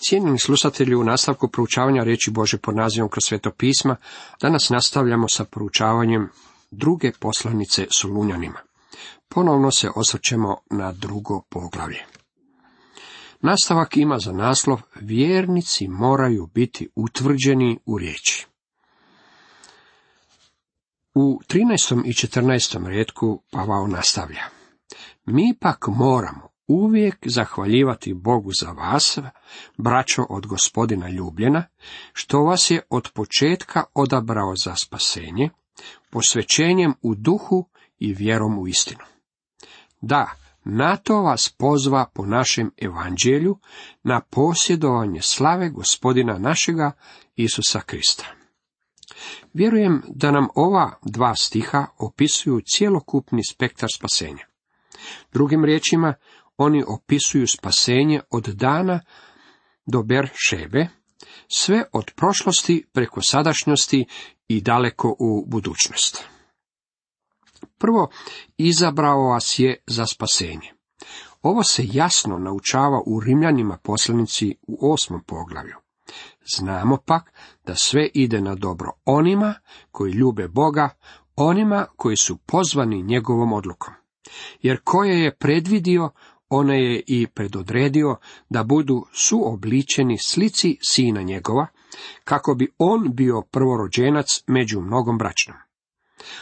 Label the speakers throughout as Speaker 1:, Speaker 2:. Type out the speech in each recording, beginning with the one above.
Speaker 1: Cijenjeni slušatelji, u nastavku proučavanja riječi Božje pod nazivom Kroz sveto pisma, danas nastavljamo sa proučavanjem druge poslanice Solunjanima. Ponovno se osvrćemo na drugo poglavlje. Nastavak ima za naslov Vjernici moraju biti utvrđeni u riječi. U 13. i 14. retku Pavao nastavlja. Mi pak moramo uvijek zahvaljivati Bogu za vas, braćo od Gospodina ljubljena, što vas je od početka odabrao za spasenje, posvećenjem u duhu i vjerom u istinu. Da, na to vas pozva po našem evanđelju, na posjedovanje slave Gospodina našega Isusa Krista. Vjerujem da nam ova dva stiha opisuju cjelokupni spektar spasenja. Drugim riječima, oni opisuju spasenje od dana do Beršebe, sve od prošlosti preko sadašnjosti i daleko u budućnost. Prvo, izabrao vas je za spasenje. Ovo se jasno naučava u Rimljanima poslanici u 8. poglavlju. Znamo pak da sve ide na dobro onima koji ljube Boga, onima koji su pozvani njegovom odlukom. Jer koje je predvidio, one je i predodredio da budu suobličeni slici sina njegova, kako bi on bio prvorođenac među mnogom braćnom.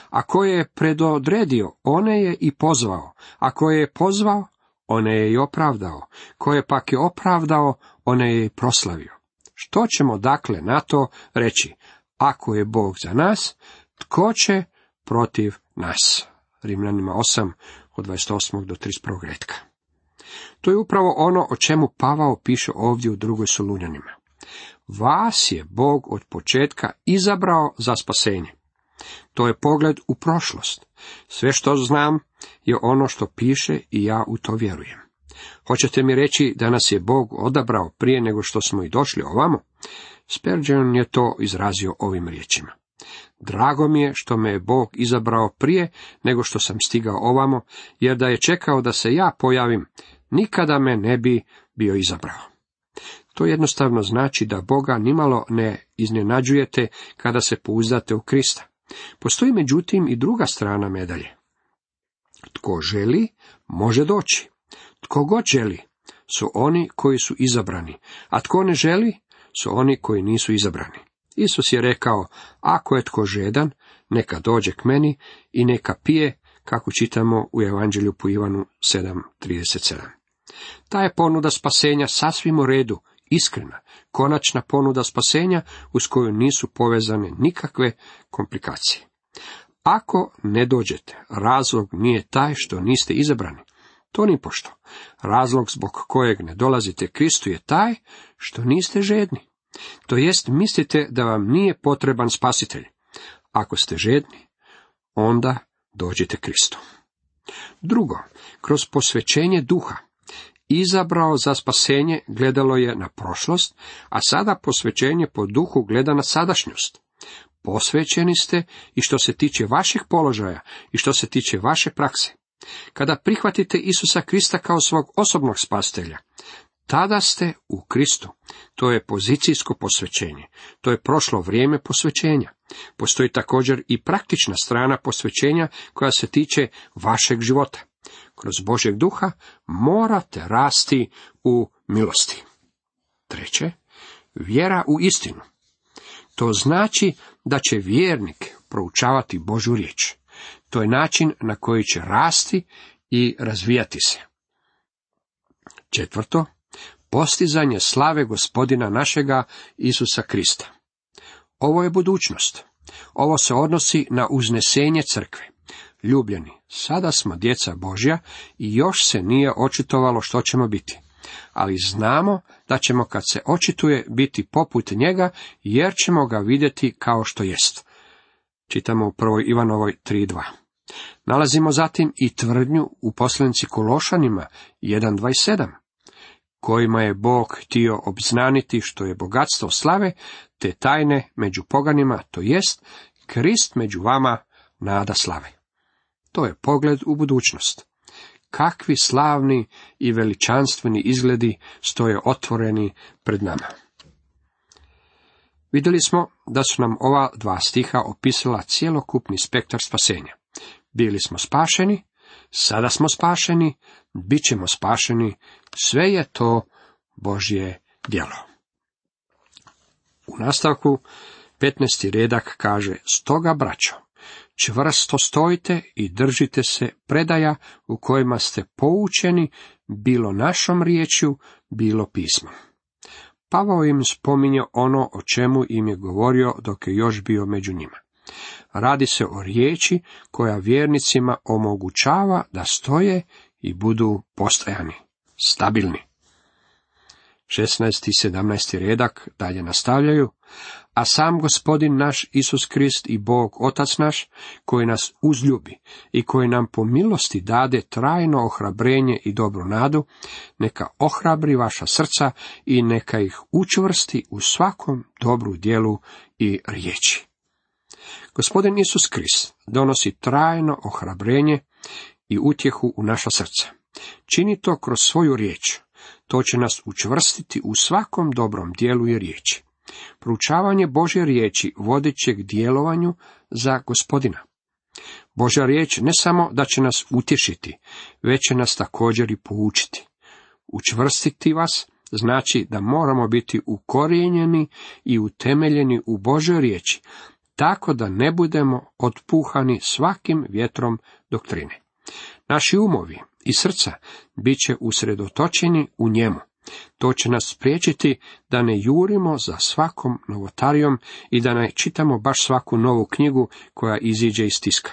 Speaker 1: A koje je predodredio, one je i pozvao, a koje je pozvao, one je i opravdao, koje pak je opravdao, one je i proslavio. Što ćemo dakle na to reći? Ako je Bog za nas, tko će protiv nas? Rimljanima 8, od 28. do 31. retka. To je upravo ono o čemu Pavao piše ovdje u drugoj Solunjanima. Vas je Bog od početka izabrao za spasenje. To je pogled u prošlost. Sve što znam je ono što piše i ja u to vjerujem. Hoćete mi reći da nas je Bog odabrao prije nego što smo i došli ovamo? Spurgeon je to izrazio ovim riječima. Drago mi je što me je Bog izabrao prije nego što sam stigao ovamo, jer da je čekao da se ja pojavim, nikada me ne bi bio izabrao. To jednostavno znači da Boga nimalo ne iznenađujete kada se pouzdate u Krista. Postoji međutim i druga strana medalje. Tko želi, može doći. Tko god želi, su oni koji su izabrani, a tko ne želi, su oni koji nisu izabrani. Isus je rekao, ako je tko žedan, neka dođe k meni i neka pije, kako čitamo u Evanđelju po Ivanu 7:37. Ta je ponuda spasenja sasvim u redu, iskrena, konačna ponuda spasenja uz koju nisu povezane nikakve komplikacije. Ako ne dođete, razlog nije taj što niste izabrani. To nipošto. Razlog zbog kojeg ne dolazite Kristu je taj što niste žedni. To jest, mislite da vam nije potreban spasitelj. Ako ste žedni, onda dođite Kristu. Drugo, kroz posvećenje duha, izabrao za spasenje gledalo je na prošlost, a sada posvećenje po duhu gleda na sadašnjost. Posvećeni ste i što se tiče vaših položaja i što se tiče vaše prakse. Kada prihvatite Isusa Krista kao svog osobnog spasitelja, tada ste u Kristu. To je pozicijsko posvećenje. To je prošlo vrijeme posvećenja. Postoji također i praktična strana posvećenja koja se tiče vašeg života. Kroz Božjeg duha morate rasti u milosti. Treće, vjera u istinu. To znači da će vjernik proučavati Božju riječ. To je način na koji će rasti i razvijati se. Četvrto, postizanje slave Gospodina našega Isusa Krista. Ovo je budućnost. Ovo se odnosi na uznesenje crkve. Ljubljeni, sada smo djeca Božja i još se nije očitovalo što ćemo biti. Ali znamo da ćemo kad se očituje biti poput njega, jer ćemo ga vidjeti kao što jest. Čitamo u 1. Ivanovoj 3:2. Nalazimo zatim i tvrdnju u poslanici Kološanima 1:27, kojima je Bog htio obznaniti što je bogatstvo slave, te tajne među poganima, to jest Krist među vama, nada slave. To je pogled u budućnost. kakvi slavni i veličanstveni izgledi stoje otvoreni pred nama. Vidjeli smo da su nam ova dva stiha opisala cjelokupni spektar spasenja. Bili smo spašeni, sada smo spašeni, bit ćemo spašeni, sve je to Božje djelo. U nastavku 15. redak kaže: stoga, braćo, čvrsto stojite i držite se predaja u kojima ste poučeni, bilo našom riječju, bilo pismom. Pavao im spominje ono o čemu im je govorio dok je još bio među njima. Radi se o riječi koja vjernicima omogućava da stoje i budu postojani, stabilni. 16. i 17. redak dalje nastavljaju: a sam Gospodin naš Isus Krist i Bog Otac naš, koji nas uzljubi i koji nam po milosti dade trajno ohrabrenje i dobru nadu, neka ohrabri vaša srca i neka ih učvrsti u svakom dobru djelu i riječi. Gospodin Isus Krist donosi trajno ohrabrenje i utjehu u naša srca. Čini to kroz svoju riječ. To će nas učvrstiti u svakom dobrom djelu i riječi. Proučavanje Božje riječi vodit će k djelovanju za Gospodina. Božja riječ ne samo da će nas utješiti, već će nas također i poučiti. Učvrstiti vas znači da moramo biti ukorijenjeni i utemeljeni u Božjoj riječi, tako da ne budemo otpuhani svakim vjetrom doktrine. Naši umovi i srca bit će usredotočeni u njemu. To će nas spriječiti da ne jurimo za svakom novotarijom i da ne čitamo baš svaku novu knjigu koja iziđe iz tiska.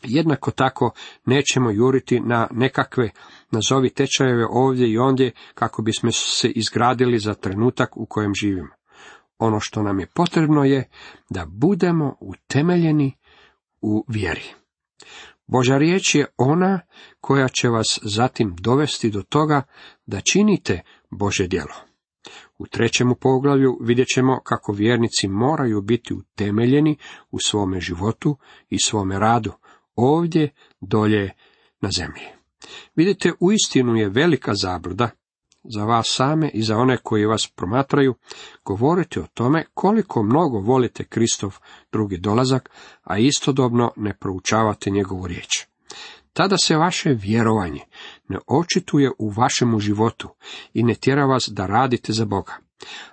Speaker 1: Jednako tako nećemo juriti na nekakve, nazovi tečajeve ovdje i ondje, kako bismo se izgradili za trenutak u kojem živimo. Ono što nam je potrebno je da budemo utemeljeni u vjeri. Božja riječ je ona koja će vas zatim dovesti do toga da činite Božje djelo. U 3. poglavlju vidjet ćemo kako vjernici moraju biti utemeljeni u svome životu i svome radu, ovdje, dolje na zemlji. Vidite, uistinu je velika zabluda za vas same i za one koji vas promatraju govoriti o tome koliko mnogo volite Kristov drugi dolazak, a istodobno ne proučavate njegovu riječ. Tada se vaše vjerovanje ne očituje u vašemu životu i ne tjera vas da radite za Boga.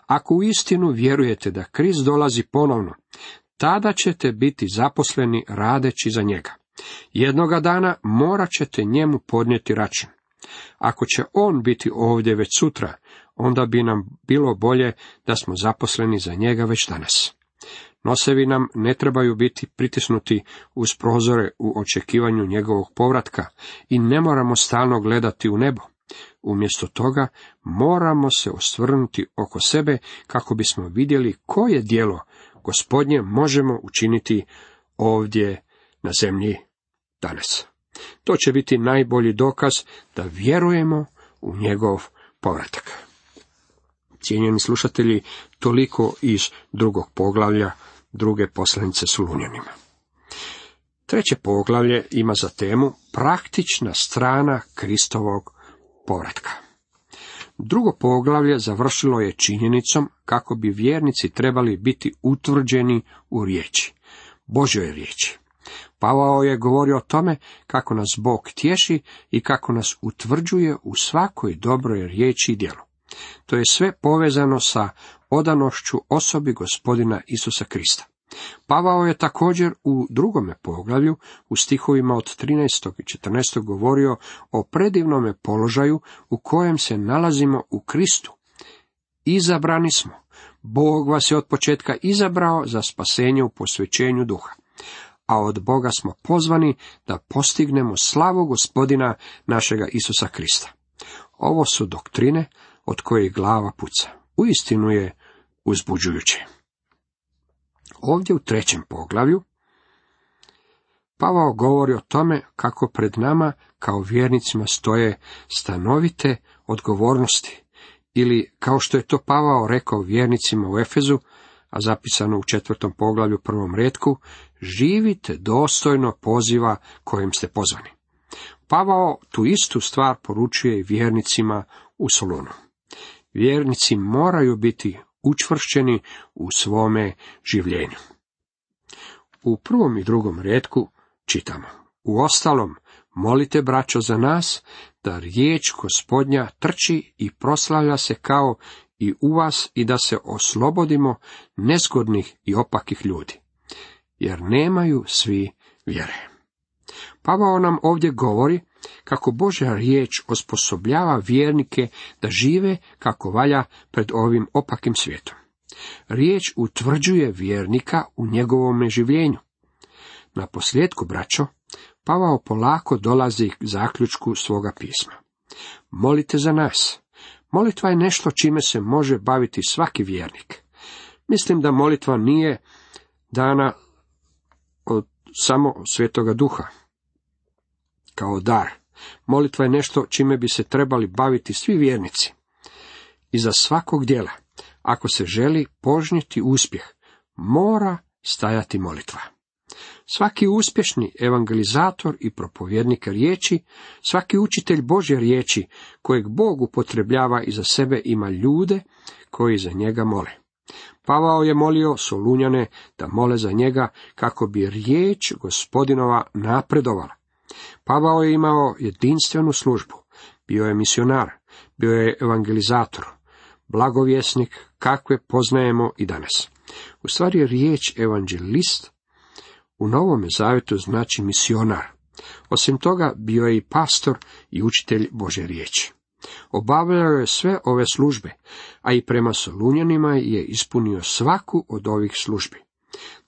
Speaker 1: Ako uistinu vjerujete da Krist dolazi ponovno, tada ćete biti zaposleni radeći za njega. Jednoga dana morat ćete njemu podnijeti račun. Ako će on biti ovdje već sutra, onda bi nam bilo bolje da smo zaposleni za njega već danas. Nosevi nam ne trebaju biti pritisnuti uz prozore u očekivanju njegovog povratka i ne moramo stalno gledati u nebo. Umjesto toga moramo se osvrnuti oko sebe kako bismo vidjeli koje djelo Gospodnje možemo učiniti ovdje na zemlji danas. To će biti najbolji dokaz da vjerujemo u njegov povratak. Cijenjeni slušatelji, toliko iz 2. poglavlja 2. poslanice Solunjanima. 3. poglavlje ima za temu praktična strana Kristovog povratka. 2. poglavlje završilo je činjenicom kako bi vjernici trebali biti utvrđeni u riječi, Božjoj riječi. Pavao je govorio o tome kako nas Bog tješi i kako nas utvrđuje u svakoj dobroj riječi i djelu. To je sve povezano sa odanošću osobi Gospodina Isusa Krista. Pavao je također u 2. poglavlju, u stihovima od 13. i 14. govorio o predivnome položaju u kojem se nalazimo u Kristu. Izabrani smo. Bog vas je od početka izabrao za spasenje u posvećenju duha. A od Boga smo pozvani da postignemo slavu Gospodina našega Isusa Krista. Ovo su doktrine od kojih glava puca. Uistinu je uzbuđujuće. Ovdje u 3. poglavlju Pavao govori o tome kako pred nama kao vjernicima stoje stanovite odgovornosti, ili kao što je to Pavao rekao vjernicima u Efezu, a zapisano u 4. poglavlju 1. retku, živite dostojno poziva kojim ste pozvani. Pavao tu istu stvar poručuje i vjernicima u Solunu. Vjernici moraju biti učvršćeni u svome življenju. U 1. i 2. retku čitamo: Uostalom, molite, braćo, za nas, da riječ Gospodnja trči i proslavlja se kao i u vas i da se oslobodimo nezgodnih i opakih ljudi, jer nemaju svi vjere. Pavao nam ovdje govori kako Božja riječ osposobljava vjernike da žive kako valja pred ovim opakim svijetom. Riječ utvrđuje vjernika u njegovome življenju. Na posljedku, braćo, Pavao polako dolazi k zaključku svoga pisma. Molite za nas. Molitva je nešto čime se može baviti svaki vjernik. Mislim da molitva nije dana od samo Svetoga Duha kao dar. Molitva je nešto čime bi se trebali baviti svi vjernici. Iza svakog djela, ako se želi požnjeti uspjeh, mora stajati molitva. Svaki uspješni evangelizator i propovjednik riječi, svaki učitelj Božje riječi, kojeg Bog upotrebljava iza sebe, ima ljude koji za njega mole. Pavao je molio Solunjane da mole za njega kako bi riječ Gospodinova napredovala. Pavao je imao jedinstvenu službu, bio je misionar, bio je evangelizator, blagovjesnik kakve poznajemo i danas. U stvari riječ evanđelist u Novome Zavjetu znači misionar. Osim toga bio je i pastor i učitelj Božje riječi. Obavljao je sve ove službe, a i prema Solunjanima je ispunio svaku od ovih službi.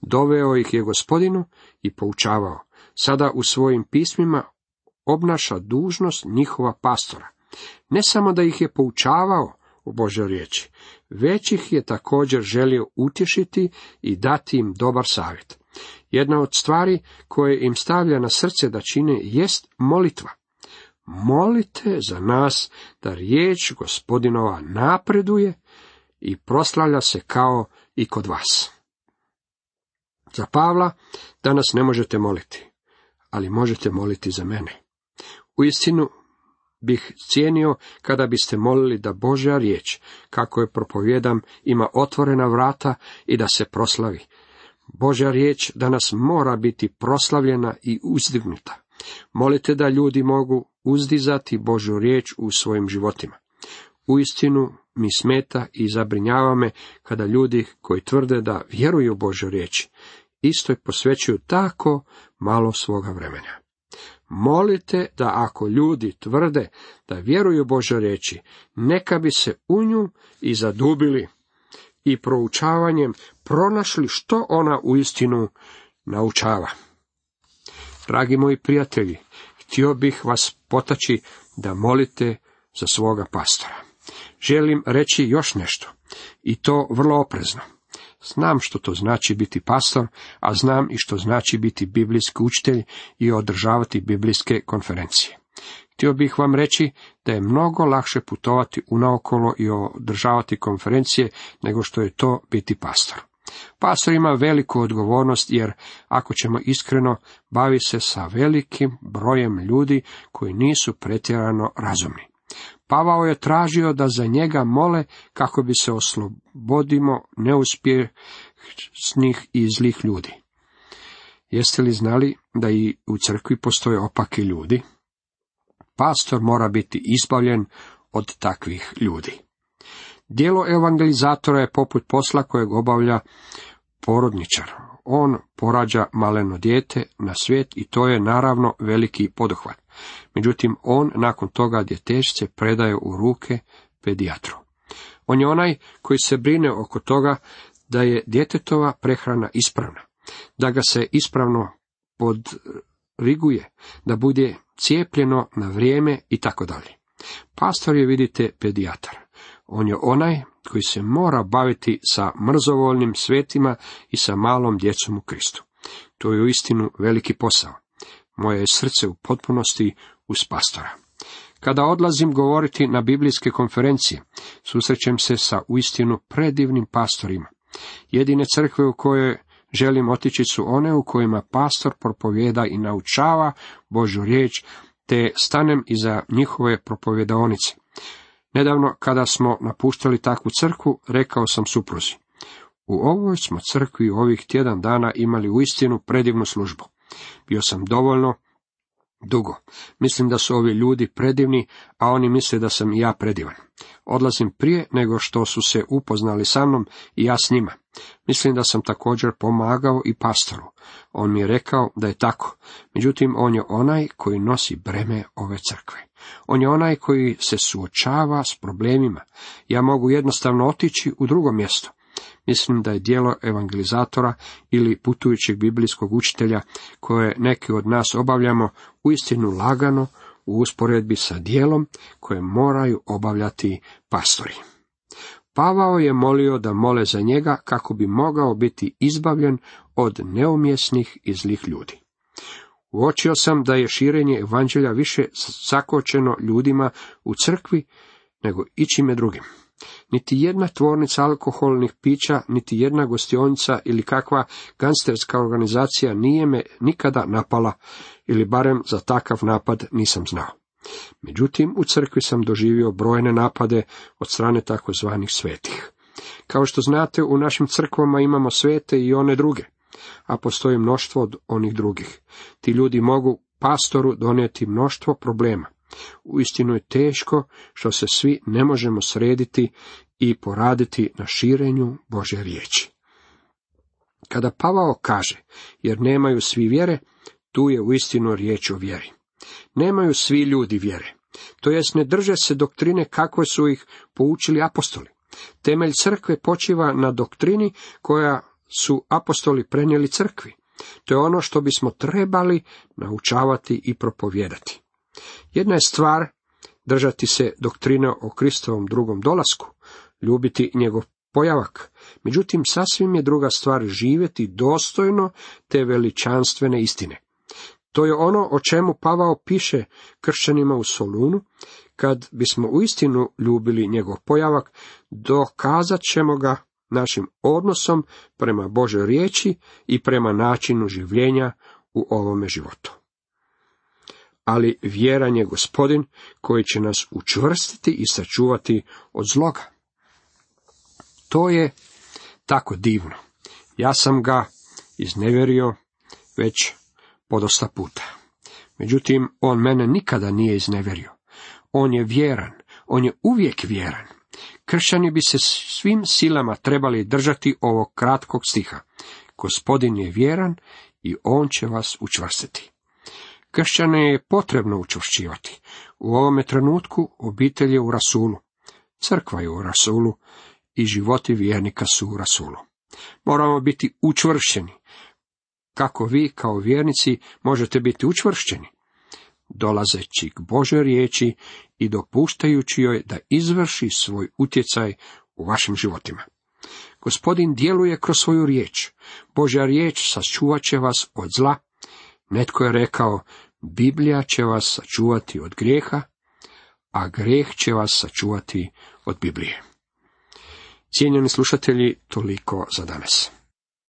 Speaker 1: Doveo ih je Gospodinu i poučavao. Sada u svojim pismima obnaša dužnost njihova pastora. Ne samo da ih je poučavao u Božjoj riječi, već ih je također želio utješiti i dati im dobar savjet. Jedna od stvari koje im stavlja na srce da čine jest molitva. Molite za nas da riječ Gospodinova napreduje i proslavlja se kao i kod vas. Za Pavla danas ne možete moliti, ali možete moliti za mene. Uistinu bih cijenio kada biste molili da Božja riječ, kako je propovijedam, ima otvorena vrata i da se proslavi. Božja riječ danas mora biti proslavljena i uzdignuta. Molite da ljudi mogu uzdizati Božju riječ u svojim životima. Uistinu mi smeta i zabrinjava me kada ljudi koji tvrde da vjeruju u Božju riječ, istoj posvećuju tako malo svoga vremena. Molite da ako ljudi tvrde da vjeruju Božoj riječi, neka bi se u nju i zadubili i proučavanjem pronašli što ona uistinu naučava. Dragi moji prijatelji, htio bih vas potaći da molite za svoga pastora. Želim reći još nešto, i to vrlo oprezno. Znam što to znači biti pastor, a znam i što znači biti biblijski učitelj i održavati biblijske konferencije. Htio bih vam reći da je mnogo lakše putovati unaokolo i održavati konferencije nego što je to biti pastor. Pastor ima veliku odgovornost jer, ako ćemo iskreno, bavi se sa velikim brojem ljudi koji nisu pretjerano razumni. Pavao je tražio da za njega mole kako bi se oslobodimo neuspješnih i zlih ljudi. Jeste li znali da i u crkvi postoje opaki ljudi? Pastor mora biti izbavljen od takvih ljudi. Djelo evangelizatora je poput posla kojeg obavlja porodničar. On porađa maleno dijete na svijet i to je naravno veliki poduhvat. Međutim, on nakon toga djetešce predaje u ruke pedijatru. On je onaj koji se brine oko toga da je djetetova prehrana ispravna, da ga se ispravno podriguje, da bude cijepljeno na vrijeme i tako dalje. Pastor je, vidite, pedijatar. On je onaj koji se mora baviti sa mrzovoljnim svetima i sa malom djecom u Kristu. To je uistinu veliki posao. Moje je srce u potpunosti uz pastora. Kada odlazim govoriti na biblijske konferencije, susrećem se sa uistinu predivnim pastorima. Jedine crkve u koje želim otići su one u kojima pastor propovijeda i naučava Božju riječ te stanem iza njihove propovjedaonice. Nedavno, kada smo napuštali takvu crkvu, rekao sam supruzi: u ovoj smo crkvi ovih tjedan dana imali uistinu predivnu službu. Bio sam dovoljno dugo. Mislim da su ovi ljudi predivni, a oni misle da sam i ja predivan. Odlazim prije nego što su se upoznali sa mnom i ja s njima. Mislim da sam također pomagao i pastoru. On mi je rekao da je tako. Međutim, on je onaj koji nosi breme ove crkve. On je onaj koji se suočava s problemima. Ja mogu jednostavno otići u drugo mjesto. Mislim da je djelo evangelizatora ili putujućeg biblijskog učitelja, koje neki od nas obavljamo, uistinu lagano u usporedbi sa djelom koje moraju obavljati pastori. Pavao je molio da mole za njega kako bi mogao biti izbavljen od neumjesnih i zlih ljudi. Uočio sam da je širenje evanđelja više zakočeno ljudima u crkvi nego ičime drugim. Niti jedna tvornica alkoholnih pića, niti jedna gostionica ili kakva gangsterska organizacija nije me nikada napala, ili barem za takav napad nisam znao. Međutim, u crkvi sam doživio brojne napade od strane takozvanih svetih. Kao što znate, u našim crkvama imamo svete i one druge, a postoji mnoštvo od onih drugih. Ti ljudi mogu pastoru donijeti mnoštvo problema. Uistinu je teško što se svi ne možemo srediti i poraditi na širenju Božje riječi. Kada Pavao kaže, jer nemaju svi vjere, tu je uistinu riječ o vjeri. Nemaju svi ljudi vjere, to jest ne drže se doktrine kakve su ih poučili apostoli. Temelj crkve počiva na doktrini koja su apostoli prenijeli crkvi. To je ono što bismo trebali naučavati i propovijedati. Jedna je stvar držati se doktrine o Kristovom drugom dolasku, ljubiti njegov pojavak. Međutim, sasvim je druga stvar živjeti dostojno te veličanstvene istine. To je ono o čemu Pavao piše kršćanima u Solunu: kad bismo uistinu ljubili njegov pojavak, dokazat ćemo ga našim odnosom prema Božoj riječi i prema načinu življenja u ovome životu. Ali vjeran je Gospodin koji će nas učvrstiti i sačuvati od zloga. To je tako divno. Ja sam ga iznevjerio već podosta puta. Međutim, on mene nikada nije iznevjerio. On je vjeran, on je uvijek vjeran. Kršćani bi se svim silama trebali držati ovog kratkog stiha. Gospodin je vjeran i on će vas učvrstiti. Kršćane je potrebno učvršćivati. U ovome trenutku obitelj je u rasulu, crkva je u rasulu i životi vjernika su u rasulu. Moramo biti učvršćeni. Kako vi kao vjernici možete biti učvršćeni? Dolazeći k Božoj riječi i dopuštajući joj da izvrši svoj utjecaj u vašim životima. Gospodin djeluje kroz svoju riječ. Božja riječ sačuvat će vas od zla. Netko je rekao, Biblija će vas sačuvati od grijeha, a grijeh će vas sačuvati od Biblije. Cijenjeni slušatelji, toliko za danas.